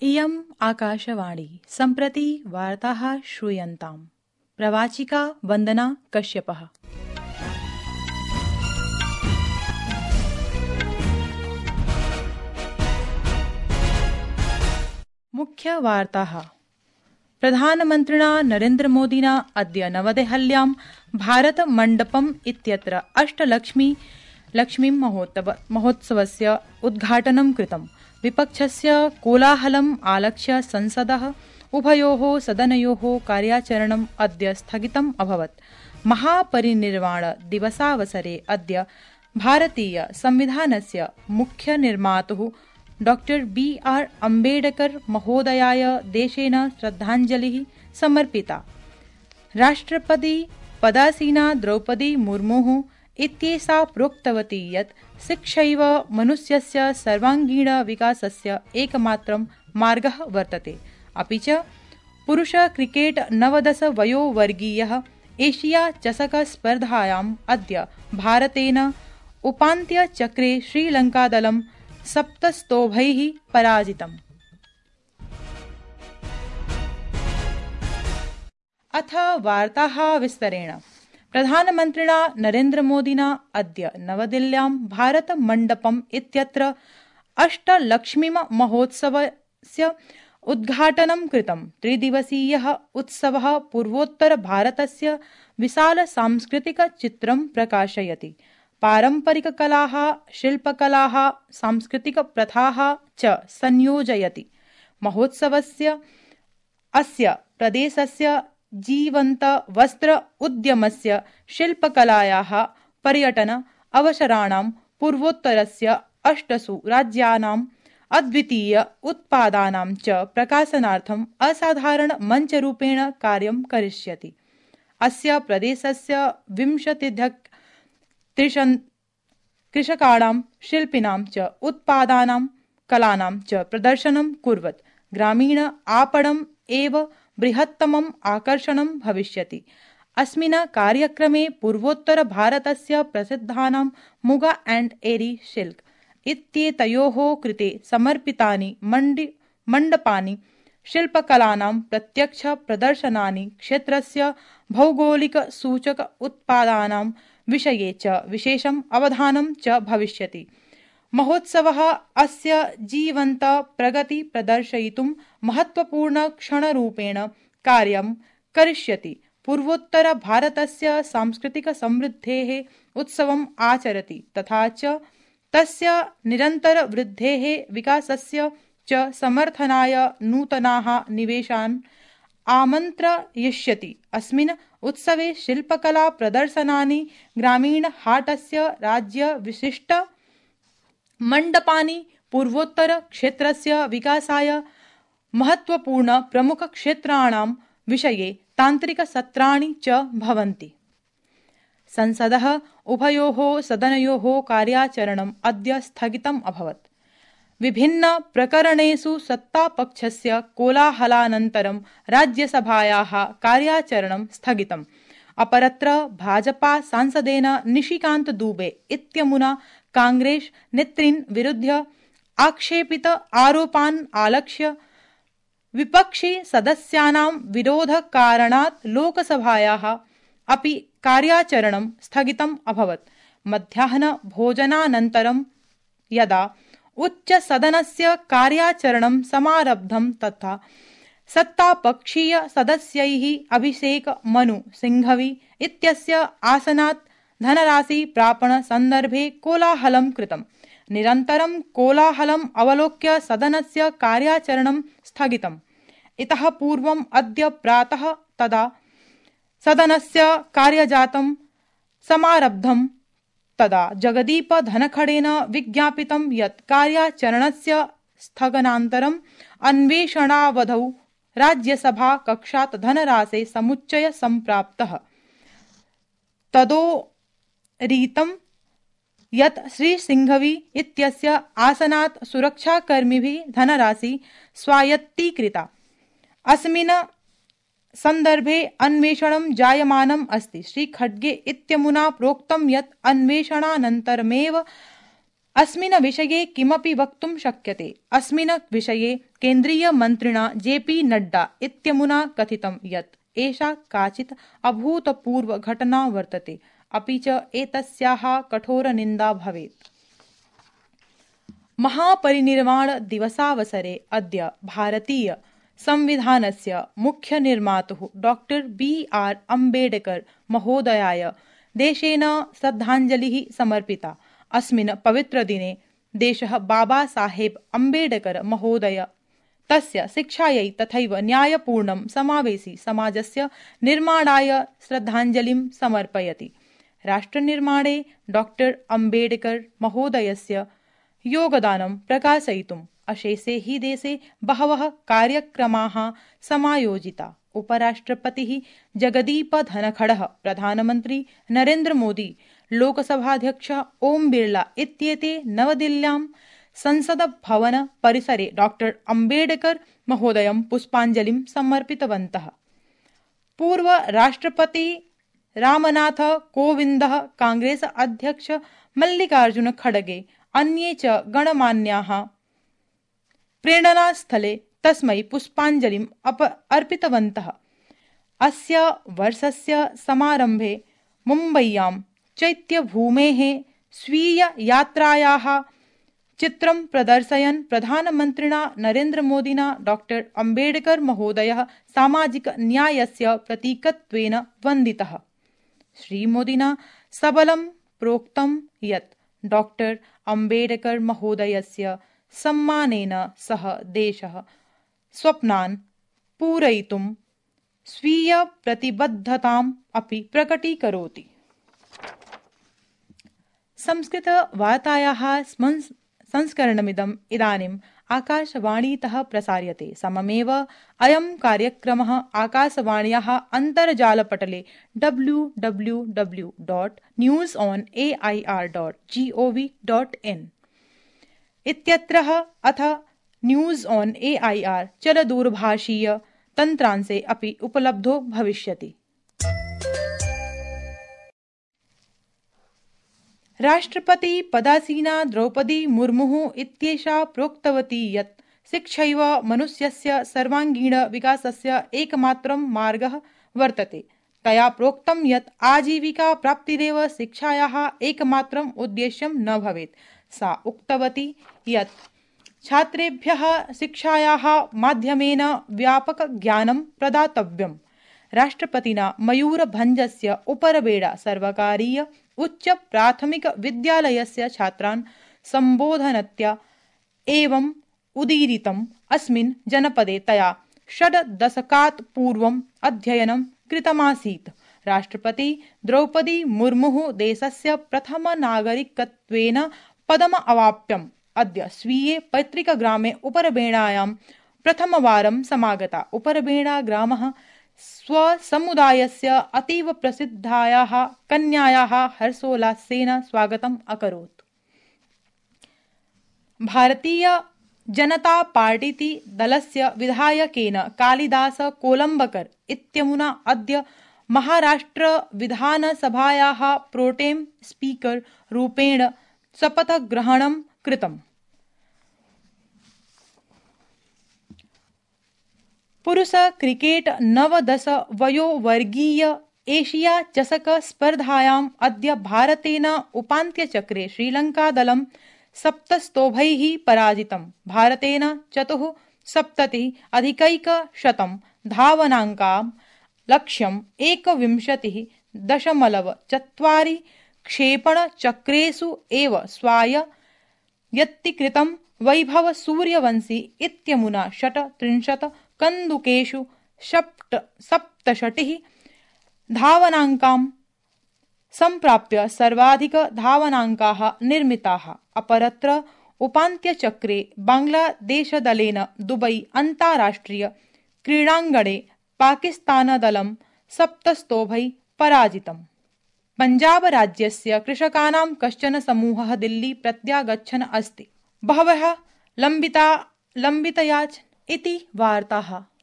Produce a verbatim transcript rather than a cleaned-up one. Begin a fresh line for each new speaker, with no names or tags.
इयम् आकाशवाणी सम्प्रति वार्ताः श्रूयन्ताम्। प्रवाचिका वन्दना कश्यपः। मुख्यवार्ताः। प्रधानमन्त्रिणा नरेन्द्रमोदिना अद्य नवदेहल्यां भारतमण्डपम् इत्यत्र अष्टलक्ष्मी लक्ष्मी महोत्सवस्य उद्घाटनं कृतम्। विपक्षस्य कोलाहलम् आलक्ष्य संसदः उभयोः सदनयोः कार्याचरणम् अद्य स्थगितम् अभवत्। महापरिनिर्वाण दिवसावसरे अद्य भारतीय संविधानस्य मुख्यनिर्मातुः डॉक्टर बी आर अम्बेडकर महोदयाय देशेन श्रद्धाञ्जलिः समर्पिता। राष्ट्रपति पदासीना द्रौपदी मुर्मुः इत्येषा प्रोक्तवती यत् शिक्षैव मनुष्यस्य सर्वाङ्गीण विकासस्य एकमात्रं मार्गः वर्तते। अपि च पुरुष क्रिकेट नवदश वयोवर्गीयः एशिया चषक स्पर्धायाम् अद्य भारतेन उपान्त्यचक्रे श्रीलङ्कादलं सप्तस्तोभैः पराजितम्। अथ वार्ताः विस्तरेण। प्रधानमन्त्रिणा नरेन्द्रमोदिना अद्य नवदिल्ल्यां भारतमण्डपम् इत्यत्र अष्टलक्ष्मीमहोत्सवस्य उद्घाटनं कृतम्। त्रिदिवसीयः उत्सवः पूर्वोत्तरभारतस्य विशालसांस्कृतिकचित्रं प्रकाशयति। पारम्परिककलाः, शिल्पकलाः, सांस्कृतिकप्रथाः च संयोजयति। महोत्सवस्य अस्य प्रदेशस्य जीवन्त वस्त्र उद्यमस्य, शिल्पकलायाः, पर्यटन अवसराणां, पूर्वोत्तरस्य अष्टसु राज्यानाम् अद्वितीय उत्पादानां च प्रकाशनार्थम् असाधारण मञ्चरूपेण कार्यं करिष्यति। अस्य प्रदेशस्य विंशत्यधिक त्रिशतं कृषकाणां, शिल्पिनां च उत्पादानां, कलानां च प्रदर्शनं कुर्वत् ग्रामीण आपणम् एव बृहत्तमम् आकर्षणं भविष्यति। अस्मिन् कार्यक्रमे पूर्वोत्तरभारतस्य प्रसिद्धानां मुगा एण्ड एरी सिल्क इत्येतयोः कृते समर्पितानि मण्डि मण्डपानि, शिल्पकलानां प्रत्यक्ष प्रदर्शनानि, क्षेत्रस्य भौगोलिकसूचक उत्पादानां विषये च विशेषम् अवधानं च भविष्यति। महोत्सवः अस्य जीवन्त प्रगति प्रदर्शयितुं महत्वपूर्ण क्षणरूपेण कार्यं करिष्यति। पूर्वोत्तर भारतस्य सांस्कृतिक समृद्धेः उत्सवम् आचरति तथा च तस्य निरन्तर वृद्धेः विकासस्य च समर्थनाय नूतनाः निवेशान् आमन्त्रयिष्यति। अस्मिन् उत्सवे शिल्पकला प्रदर्शनानि, ग्रामीण हाटस्य राज्य विशिष्ट मण्डपानि, पूर्वोत्तर क्षेत्रस्य विकासाय महत्वपूर्ण प्रमुख क्षेत्राणां विषये तान्त्रिकसत्राणि च भवन्ति। संसदः उभयोः सदनयोः कार्याचरणम् अद्य स्थगितम् अभवत्। विभिन्न प्रकरणेषु सत्तापक्षस्य कोलाहलानन्तरं राज्यसभायाः कार्याचरणं स्थगितम्। अपरत्र भाजपा सांसदेन निशिकान्त दुबे इत्यमुना कांग्रेस नेतॄन् विरुध्य आक्षेपित आरोपान् आलक्ष्य विपक्षी सदस्यानां विरोधकारणात् लोकसभायाः अपि कार्याचरणं स्थगितम् अभवत्। मध्याह्न भोजनानन्तरं यदा उच्चसदनस्य कार्याचरणं समारब्धं तथा सत्तापक्षीय सदस्यैः अभिषेक मनु सिंघवी इत्यस्य आसनात् धनराशि प्रापण सन्दर्भे कोलाहलं कृतम्। निरन्तरं कोलाहलम् अवलोक्य सदनस्य कार्याचरणं स्थगितम्। इतः पूर्वम् अद्य प्रातः तदा सदनस्य कार्यजातं समारब्धं तदा जगदीप धनखडेन विज्ञापितं यत् कार्याचरणस्य स्थगनानन्तरम् अन्वेषणावधौ राज्यसभा कक्षात् धनराशे समुच्चय सम्प्राप्तः। तदोरीतं यत् श्रीसिंघवी इत्यस्य आसनात् सुरक्षाकर्मिभिः धनराशि स्वायत्तीकृता। अस्मिन् सन्दर्भे अन्वेषणं जायमानम् अस्ति। श्रीखड्गे इत्यमुना प्रोक्तं यत् अन्वेषणानन्तरमेव अस्मिन् विषये किमपि वक्तुं शक्यते। अस्मिन् विषये केन्द्रीयमन्त्रिणा जे पी नड्डा इत्यमुना कथितं यत् एषा काचित् अभूतपूर्वघटना वर्तते, अपि च एतस्याः कठोरनिन्दा भवेत्। महापरिनिर्वाणदिवसावसरे अद्य भारतीय संविधानस्य मुख्यनिर्मातुः डॉक्टर बी आर अम्बेडकर महोदयाय देशेन श्रद्धाञ्जलिः समर्पिता। अस्मिन् पवित्रदिने देशः बाबा साहेब अम्बेडकर महोदय तस्य शिक्षायै तथैव न्यायपूर्णं समावेशि समाजस्य निर्माणाय श्रद्धाञ्जलिं समर्पयति। राष्ट्रनिर्माणे डॉक्टर अम्बेडकर महोदयस्य योगदानं प्रकाशयितुम् अशेषे हि देशे बहवः कार्यक्रमाः समायोजिता। उपराष्ट्रपतिः जगदीप धनखडः, प्रधानमन्त्री नरेन्द्र मोदी, लोकसभाध्यक्षः ओम बिर्ला इत्येते नवदिल्ल्यां संसद्भवन परिसरे डॉक्टर अम्बेडकर महोदयं पुष्पाञ्जलिं समर्पितवन्तः। पूर्व राष्ट्रपति रामनाथ कोविन्दः, कांग्रेस अध्यक्ष मल्लिकार्जुन खड़गे, अन्ये च गणमान्याः प्रेरणास्थले तस्मै पुष्पाञ्जलिम् अर्पितवन्तः। अस्य वर्षस्य समारम्भे मुम्बय्यां चैत्यभूमेः स्वीययात्रायाः चित्रं प्रदर्शयन् प्रधानमन्त्रिणा नरेन्द्रमोदिना डॉक्टर अम्बेडकर महोदयः सामाजिकन्यायस्य प्रतीकत्वेन वन्दितः। श्रीमोदिना सबलं प्रोक्तं यत् डॉक्टर अम्बेडकर महोदयस्य सम्मानेन सह देशः स्वप्नान् पूरयितुं स्वीयप्रतिबद्धताम् अपि प्रकटीकरोति। संस्कृतवार्तायाः संस्करणमिदम् इदानीम् आकाशवाणीतः प्रसार्यते। सममेव अयं कार्यक्रमः आकाशवाण्याः अन्तर्जालपटले W W W dot news on A I R dot G O V dot in इत्यत्र अथ news on A I R चलदूरभाषीय तन्त्रांशे अपि उपलब्धो भविष्यति। राष्ट्रपति पदासीना द्रौपदी मुर्मुः इत्येषा प्रोक्तवती यत् शिक्षैव मनुष्यस्य सर्वाङ्गीणविकासस्य एकमात्रं मार्गः वर्तते। तया प्रोक्तं यत् आजीविका प्राप्तिरेव शिक्षायाः एकमात्रम् उद्देश्यं न भवेत्। सा उक्तवती यत् छात्रेभ्यः शिक्षायाः माध्यमेन व्यापकज्ञानं प्रदातव्यम्। राष्ट्रपतिना मयूरभञ्जस्य उपरबेडा सर्वकारीय उच्च प्राथमिक विद्यालयस्य छात्रान् सम्बोधनत्या एवम् उदीरितम्। अस्मिन् जनपदे तया षड् दशकात् पूर्वम् अध्ययनं कृतमासीत्। राष्ट्रपति द्रौपदी मुर्मुः देशस्य प्रथमनागरिकत्वेन पदम् अवाप्यम्। अद्य स्वीये पैतृकग्रामे उपरबेणायां प्रथमवारं समागता। उपरबेणा ग्रामः स्वसमुदायस्य अतीव प्रसिद्धायाः कन्यायाः हर्षोल्लासेन स्वागतम् अकरोत्। भारतीय जनता पार्टीति दलस्य विधायकेन कालिदास कोलम्बकर इत्यमुना अद्य महाराष्ट्र विधानसभायाः प्रोटेम स्पीकर रूपेण शपथग्रहणं कृतम्। पुरुष क्रिकेट नवदश वयोवर्गीय एशिया चषक स्पर्धायाम् अद्य भारतेन उपान्त्यचक्रे श्रीलङ्कादलं सप्तस्तोभैः पराजितम्। भारतेन चतुःसप्ततिः अधिकैकशतं धावनाङ्कां लक्ष्यम् एकविंशतिः दशमलव चत्वारि क्षेपणचक्रेषु एव स्वायत्तीकृतं। वैभव सूर्यवंशी इत्यमुना षट्त्रिंशत् कन्दुकेषु सप्तषष्टिः धावनाङ्कां सम्प्राप्य सर्वाधिकधावनाङ्काः निर्मिताः। अपरत्र उपान्त्यचक्रे बाङ्ग्लादेशदलेन दुबई अन्ताराष्ट्रिय क्रीडाङ्गणे पाकिस्तानदलं सप्तस्तोभैः पराजितम्। पञ्जाबराज्यस्य कृषकाणां कश्चन समूहः दिल्ली प्रत्यागच्छन् अस्ति। बहवः लम्बिता लम्बितयाच इति वार्ताः।